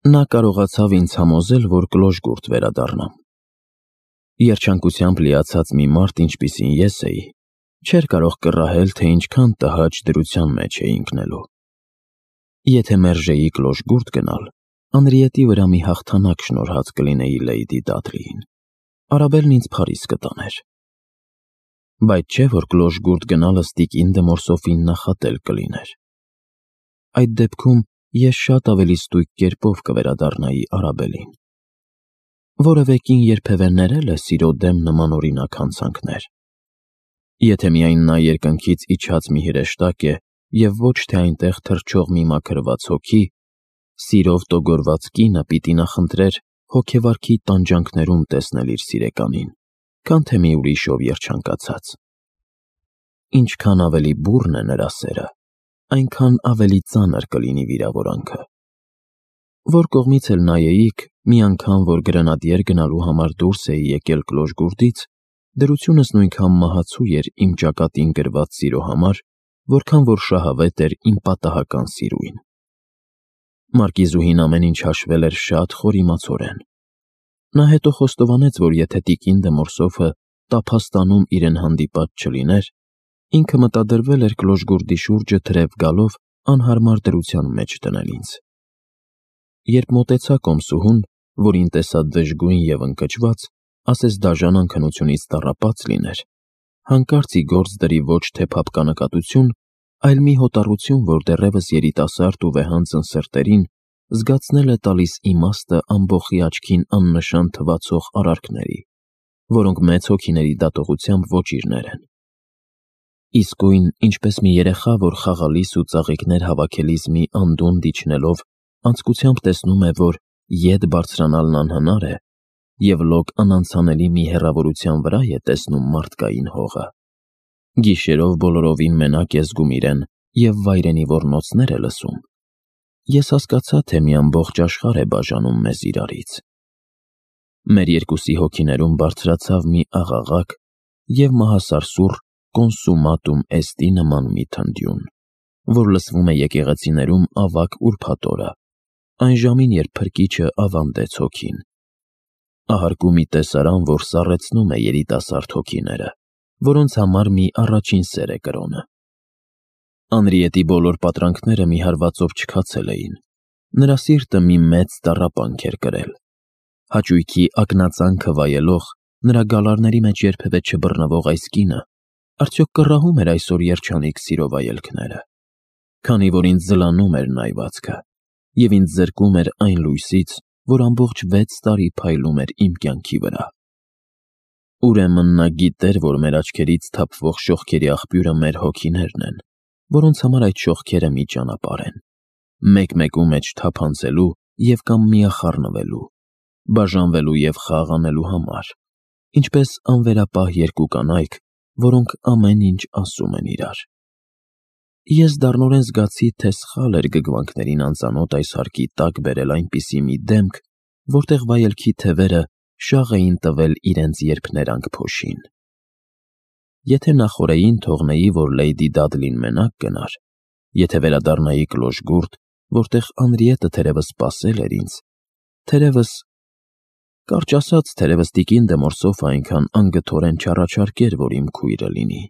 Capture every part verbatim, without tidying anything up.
Նա կարողացավ ինձ համոզել, որ կլոժգուրդ վերադառնամ։ Երջանկությամբ լիացած մի մարդ, ինչպիսին ես էի, չէր կարող կռահել, թե ինչքան տհաճ դրության մեջ էի ընկնելու։ Եթե մերժեի կլոժգուրդ գնալ, Անրիետի վրա մի հաղթանակ շնորհած կլինեի Լեյդի Դադլիին։ Արաբելն ինձ Փարիզ կտաներ։ Բայց չէ, որ կլոժգուրդ գնալը տիկին դե Մորսոֆին նախատել կլիներ։ Այդ դեպքում ես շատ ավելի ստույգ կերպով կվերադառնայի Արաբելին։ Որևէ կին երբևէ ներել է սիրո դեմ նմանօրինակ հանցանքներ։ Եթե միայն նա երկնքից իջած մի հրեշտակ է և ոչ թե այնտեղ թռչող մի մաքրված հոգի, սիրով տոգորված կինը պիտի նախընտրեր հոգեվարքի տանջանքներում տեսնել իր սիրեկանին, քան թե մի ուրիշով երջանկացած։ Ինչքան ավելի բուռն է նրա սերը, այնքան ավելի ծանր կլինի վիրավորանքը։ Որ կողմից էլ նայեիք, մի անգամ, որ գրենադիեր գնալու համար դուրս էի եկել կլոժգուրդից, դրությունս նույնքան մահացու էր իմ ճակատին գրված սիրո համար, որքան որ շահավետ էր իմ պատահական սիրուին։ Մարկիզուհին ամեն ինչ հաշվել էր շատ խորիմացորեն։ Նա հետո խոստովանեց, որ եթե տիկին դե Մորսոֆը տափաստանում իրեն հանդիպած չլիներ, ինքը մտադրվել էր կլոժգուրդի շուրջը թրև գալով անհարմար դրության մեջ դնել ինձ։ Երբ մոտեցա կոմսուհուն, որին տեսա դժգույն և ընկճված, ասես դաժան անքնությունից տառապած լիներ, հանկարծ ի գործ դրի ոչ թե փափկանակատություն, այլ մի հոտառություն, որ դեռևս երիտասարդ ու վեհանձն սրտերին զգացնել է տալիս իմաստը ամբոխի աչքին աննշան թվացող արարքների, որոնք մեծ հոգիների դատողությամբ ոճիրներ են։ Իսկույն, ինչպես մի երեխա, որ խաղալիս ու ծաղիկներ հավաքելիս մի անդունդ իջնելով անձկությամբ տեսնում է, որ ետ բարձրանալն անհնար է, և լոկ անանցանելի մի հեռավորության վրա է տեսնում մարդկային հողը։ Գիշերով բոլորովին մենակ է զգում իրեն և վայրենի ոռնոցներ է լսում։ Ես հասկացա, թե մի ամբողջ աշխարհ է բաժանում մեզ իրարից։ Մեր երկուսի հոգիներում բարձրացավ մի աղաղակ և մահասարսուռ կոնսումատում էստի նման մի թնդյուն, որ լսվում է եկեղեցիներում ավագ ուրբաթ օրը, այն ժամին, երբ Փրկիչը ավանդեց հոգին։ Ահարկու մի տեսարան, որ սառեցնում է երիտասարդ հոգիները, որոնց համար մի առաջին սեր է կրոնը։ Անրիետի բոլոր պատրանքները մի հարվածով չքացել էին։ Նրա սիրտը մի մեծ տառապանք էր կրել։ Հաճույքի ակնածանքը վայելող, նրա գալարների մեջ երբևէ չբռնվող այս կինը արդյոք կռահում էր այսօր երջանիկ սիրո վայելքները, քանի որ ինձ զլանում էր նայվածքը և ինձ զրկում էր այն լույսից, որ ամբողջ վեց տարի փայլում էր իմ կյանքի վրա։ Ուրեմն նա գիտեր, որ մեր աչքերից թափվող շողքերի աղբյուրը մեր հոգիներն են, որոնց համար այդ շողքերը մի ճանապարհ են, մեկ-մեկու մեջ թափանցելու և կամ միախառնվելու, բաժանվելու և խաղ անելու համար, ինչպես անվերապահ երկու կանայք, որոնք ամեն ինչ ասում են իրար։ Ես դառնորեն զգացի, թե սխալ էր գգվանքներին անծանոթ այս հարկի տակ բերել այնպիսի մի դեմք, որտեղ վայելքի թևերը շաղ էին տվել իրենց երփներանգ փոշին։ Եթե նախօրեին թողնեի, որ Լեյդի Դադլին մենակ գնար, եթե վերադառնայի կլոժգուրդ, որտեղ Անրիետը թերևս սպասել էր ինձ, թերևս, կարճ ասած, թերևս տիկին դե Մորսոֆը այնքան անգթորեն չառաջարկեր, որ իմ քույրը լինի։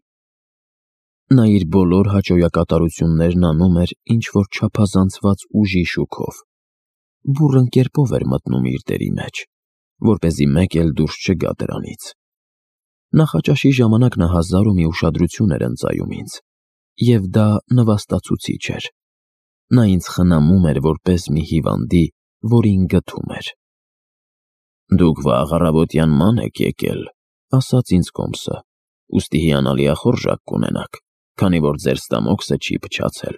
Նա իր բոլոր հաճոյակատարություններն անում էր ինչ-որ չափազանցված ուժի շուքով, բուռն կերպով էր մտնում իր դերի մեջ, որպեսզի մեկ էլ դուրս չգա դրանից։ Նախաճաշի ժամանակ նա հազար ու մի ուշադրություն էր ընծայում ինձ, և դա նվաստացուցիչ էր։ Նա ինձ խնամում էր որպես մի հիվանդի, որին գթում էր։ «Դուք վաղ առավոտյան ման եք եկել», ասաց ինձ կոմսը, «ուստի հիանալի ախորժակ կունենաք, քանի որ ձեր ստամոքսը չի փչացել»։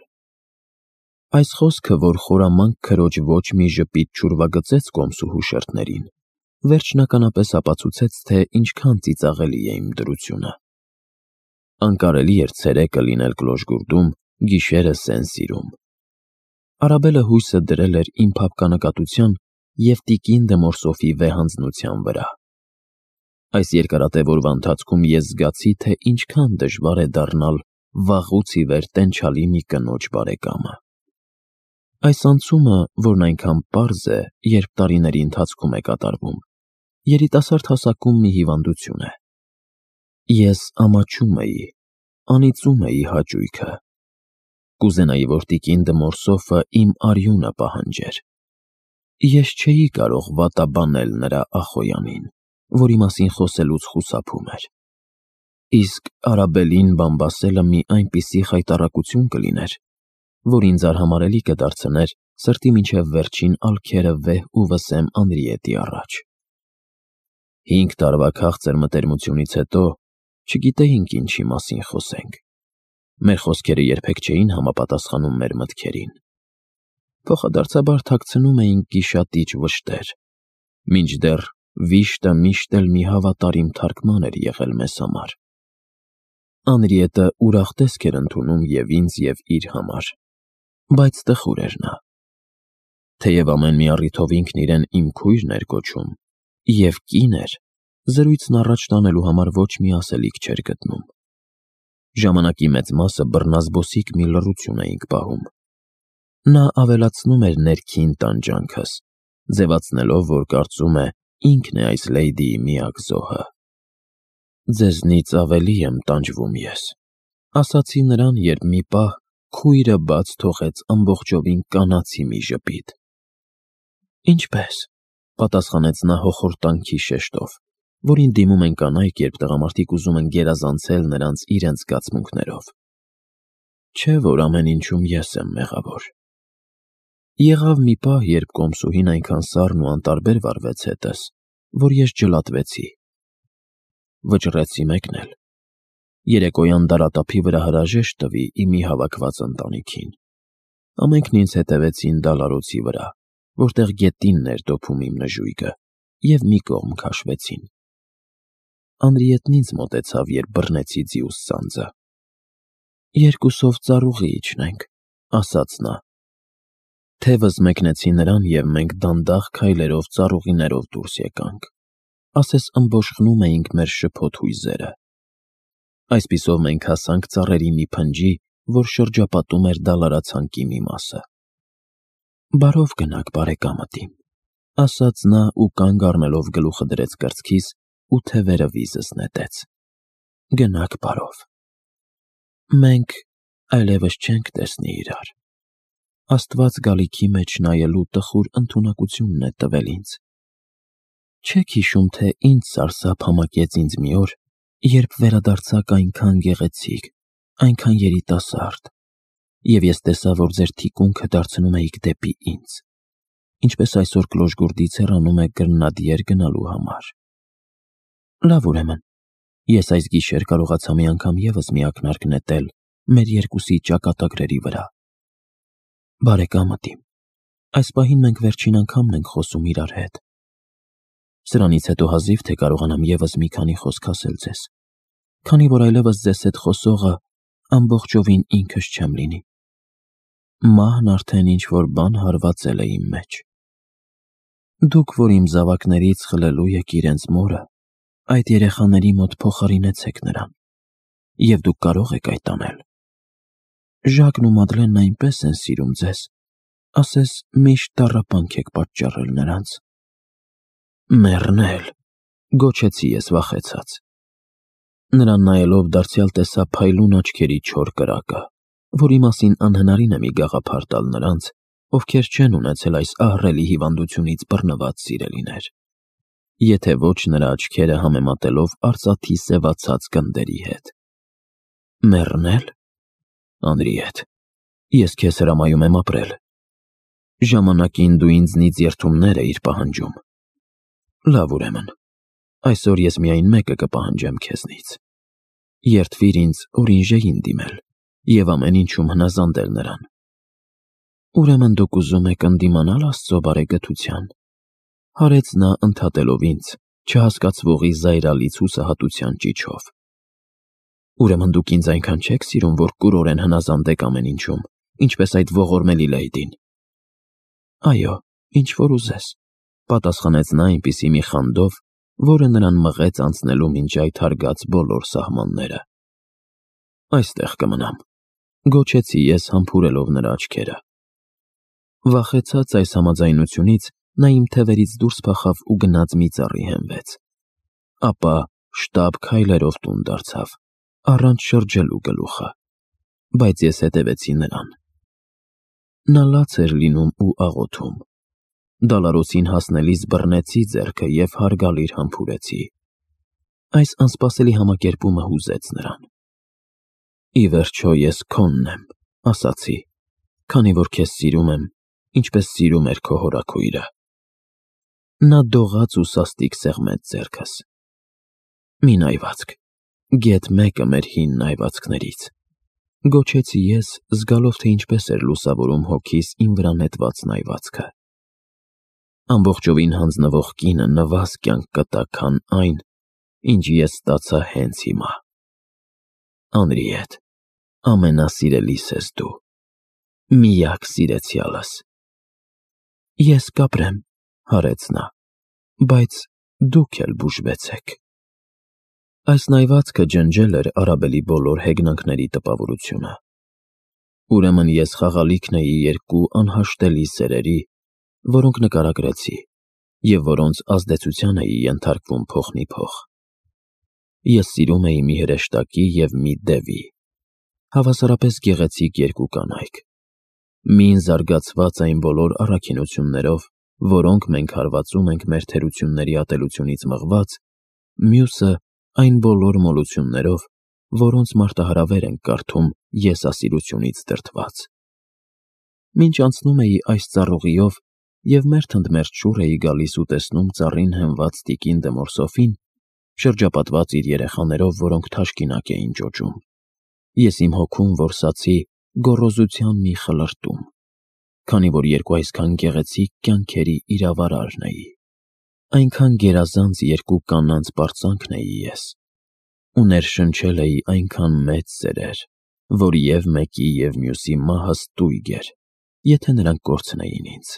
Այս խոսքը, որ խորամանկ քրոջ ոչ մի ժպիտ չուրվագծեց կոմսուհու շրթներին, վերջնականապես ապացուցեց, թե ինչքան ծիծաղելի է իմ դրությունը։ Անկարելի էր ցերեկը լինել կլոժգուրդում, գիշերը Սեն-Սիրում։ Արաբելը հույսը դրել էր իմ փափկանակատության և տիկին դե Մորսոֆի վեհանձնության վրա։ Այս երկարատև օրվա ընթացքում ես զգացի, թե ինչքան դժվար է դառնալ վաղուց ի վեր տենչալի մի կնոջ բարեկամը։ Այս անցումը, որն այնքան պարզ է, երբ տարիների ընթացքում է կատարվում, երիտասարդ հասակում մի հիվանդություն է։ Ես ամաչում էի, անիծում էի հաճույքը։ Կուզենայի, որ տիկին Դմորսոֆը իմ արյունը պահանջեր։ Ես չէի կարող վատաբանել նրա Ախոյանին, որի մասին խոսելուց խուսափում էր։ Իսկ Արաբելին բամբասելը մի այնպիսի խայտառակություն կլիներ, որ ինձ արհամարհելի կդարձներ սրտի մինչև վերջին ալքերը վեհ ու վսեմ Անրիետի առաջ։ Հինգ տարվա քաղցր մտերմությունից հետո չգիտեինք ինչի մասին խոսենք։ Մեր խոսքերը երբեք չէին համապատասխանում մեր մտքերին։ Փոխադարձաբար թաքցնում էինք գիշատիչ վշտեր, մինչդեռ վիշտը միշտ էլ մի հավատարիմ թարգման էր եղել մեզ համար։ Անրիետը ուրախ տեսք էր ընդունում և ինձ, և իր համար, բայց տխուր էր նա։ Թեև ամեն մի առիթով ինքն իրեն իմ քույրն էր կոչում և կին էր, զրույցն առաջ տանելու համար ոչ մի ասելիք չէր գտնում։ Ժամանակի մեծ մասը բռնազբոսիկ մի լռություն էինք պահում։ Նա ավելացնում էր ներքին տանջանքս, ձևացնելով, որ կարծում է ինքն է այս լեյդիի միակ զոհը։ «Ձեզնից ավելի եմ տանջվում ես», ասացի նրան, երբ մի պահ քույրը բաց թողեց ամբողջովին կանացի մի ժպիտ։ «Ինչպե՞ս», պատասխանեց նա հոխորտանքի շեշտով, որին դիմում են կանայք, երբ տղամարդիկ ուզում են գերազանցել նրանց իրենց զգացմունքներով։ Չէ՞ որ ամեն ինչում ես եմ մեղավոր։ Եղավ մի պահ, երբ կոմսուհին այնքան սառն ու անտարբեր վարվեց հետս, որ ես ջլատվեցի։ Վճռեցի մեկնել։ Երեկոյան դարատափի վրա հրաժեշտ տվի իմի հավաքված ընտանիքին։ Ամենքն ինձ հետևեցին դալարոցի վրա, որտեղ գետինն էր դոփում իմ նժույգը, և մի կողմ քաշվեցին։ Անրիետն ինձ մոտեցավ, երբ բռնեցի ձիուս ծանծը։ «Երկուսով ծառուղի իջնենք», ասաց նա։ Թևս մեկնեցի նրան, և մենք դանդաղ քայլերով ծառուղիներով դուրս եկանք, ասես ըմբոշխնում էինք մեր շփոթ հույզերը։ Այսպիսով մենք հասանք ծառերի մի փնջի, որ շրջապատում էր դալարացանկի մի մասը։ «Բարով գնաք, բարեկամդ իմ», ասաց նա ու կանգ առնելով գլուխը դրեց կրծքիս ու թևերը վիզս նետեց։ «Գնաք բարով։ Մենք այլևս չենք տեսնի իրար։ Աստված գալիքի մեջ նայելու տխուր ընդունակությունն է տվել ինձ։ Չեք հիշում, թե ինչ սարսափ համակեց ինձ մի օր, երբ վերադարձաք այնքան գեղեցիկ, այնքան երիտասարդ, և ես տեսա, որ ձեր թիկունքը դարձնում էիք դեպի ինձ, ինչպես այսօր Կլոժգուրդից հեռանում եք Գրնադիեր գնալու համար։ Լավ, ուրեմն, ես այս գիշեր կարողացա մի անգամ ևս մի ակնարկ նետել մեր երկուսի ճակատագրերի վրա։ Բարեկամդ իմ, այս պահին մենք վերջին անգամն ենք խոսում իրար հետ։ Սրանից հետո հազիվ թե կարողանամ ևս մի քանի խոսք ասել ձեզ, քանի որ այլևս ձեզ հետ խոսողը ամբողջովին ինքս չեմ լինի։ Մահն արդեն ինչ-որ բան հարվածել է իմ մեջ։ Դուք, որ իմ զավակներից խլելու եք իրենց մորը, այդ երեխաների մոտ փոխարինեցեք նրան, և դուք կարող եք այդ անել։ Ժակն ու Մադլենն այնպես են սիրում ձեզ, ասես միշտ տառապանք եք պատճառել նրանց։ Մեռնել, գոչեցի ես վախեցած։ Նրան նայելով դարձյալ տեսա փայլուն աչքերի չոր կրակը, որի մասին անհնարին է մի գաղափար տալ նրանց, ովքեր չեն ունեցել այս ահռելի հիվանդությունից բռնված սիրելիներ, եթե ոչ նրա աչքերը համեմատելով արծաթի սևացած գնդերի հետ։ Մեռնել։ Անրիետ, ես քեզ հրամայում եմ ապրել։ Ժամանակին դու ինձնից երդումներ էիր պահանջում։ Լավ, ուրեմն, այսօր ես միայն մեկը կպահանջեմ քեզնից։ Երդվիր ինձ օրինժեին դիմել և ամեն ինչում հնազանդել նրան։ Ուրեմն դուք ուզում եք ընդդիմանալ Աստծո բարեգթության, հարեց նա ընդհատելով ինձ չհասկացվողի զայրալից հուսահատության ճիչով։ Ուրեմն դուք ինձ այնքան չեք սիրում, որ կուրորեն հնազանդեք ամեն ինչում, ինչպես այդ ողորմելի լեյդին։ Այո, ինչ որ ուզես, պատասխանեց նա այնպիսի մի խանդով, որը նրան մղեց անցնելու մինչ այդ հարգած բոլոր սահմանները։ Այստեղ կմնամ, գոչեցի ես համբուրելով նրա աչքերը։ Վախեցած այս համաձայնությունից նա իմ թևերից դուրս փախավ ու գնաց մի ծառի հենվեց, ապա շտապ քայլերով տուն դարձավ, առանց շրջելու գլուխը, բայց ես հետևեցի նրան։ Նա լաց էր լինում ու աղոթում։ Դալարոսին հասնելիս բռնեցի ձեռքը և հարգալիր համբուրեցի։ Այս անսպասելի համակերպումը հուզեց նրան։ Ի վերջո ես քոնն եմ, ասացի, քանի որ քեզ սիրում եմ, ինչպես սիրում էր քո հորաքույրը։ Նա դողաց ու սաստիկ սեղմեց ձեռքս։ Մի նայվածք, գեթ մեկը մեր հին նայվածքներից, գոչեցի ես, զգալով, թե ինչպես էր լուսավորում հոգիս իմ վրա նետված նայվածքը։ Ամբողջովին հանձնվող կինը նվազ կյանք կտա, քան այն, ինչ ես ստացա հենց հիմա։ Անրիետ, ամենասիրելիս ես դու, միակ սիրեցյալս։ Ես կապրեմ, հարեց նա, բայց դուք էլ բուժվեցեք։ Այս նայվածքը ջնջել էր Արաբելի բոլոր հեգնանքների տպավորությունը։ Ուրեմն ես խաղալիքն էի երկու անհաշտելի սերերի, որոնք նկարագրեցի և որոնց ազդեցության էի ենթարկվում փոխնիփոխ։ Ես սիրում էի մի հրեշտակի և մի դևի, հավասարապես գեղեցիկ երկու կանայք, մին զարգացված այն բոլոր առաքինություններով, որոնք մենք հարվածում ենք մեր թերությունների ատելությունից մղված, մյուսը այն բոլոր մոլություններով, որոնց մարտահրավեր ենք կարդում եսասիրությունից դրդված։ Մինչ անցնում էի այս ծառուղիով և մերթ ընդ մերթ շուռ էի գալիս ու տեսնում ծառին հենված տիկին Դեմորսոֆին, շրջապատված իր երեխաներով, որոնք թաշկինակ էին ճոճում, ես իմ հոգում որսացի գոռոզության մի խլրտում, քանի որ երկու այսքան գեղեցիկ կյանքերի իրավարարն էի, այնքան գերազանց երկու կանանց պարծանքն էի ես, ու ներշնչել էի այնքան մեծ սերեր, որ և մեկի և մյուսի մահը ստույգ էր, եթե նրանք կորցնեին ինձ։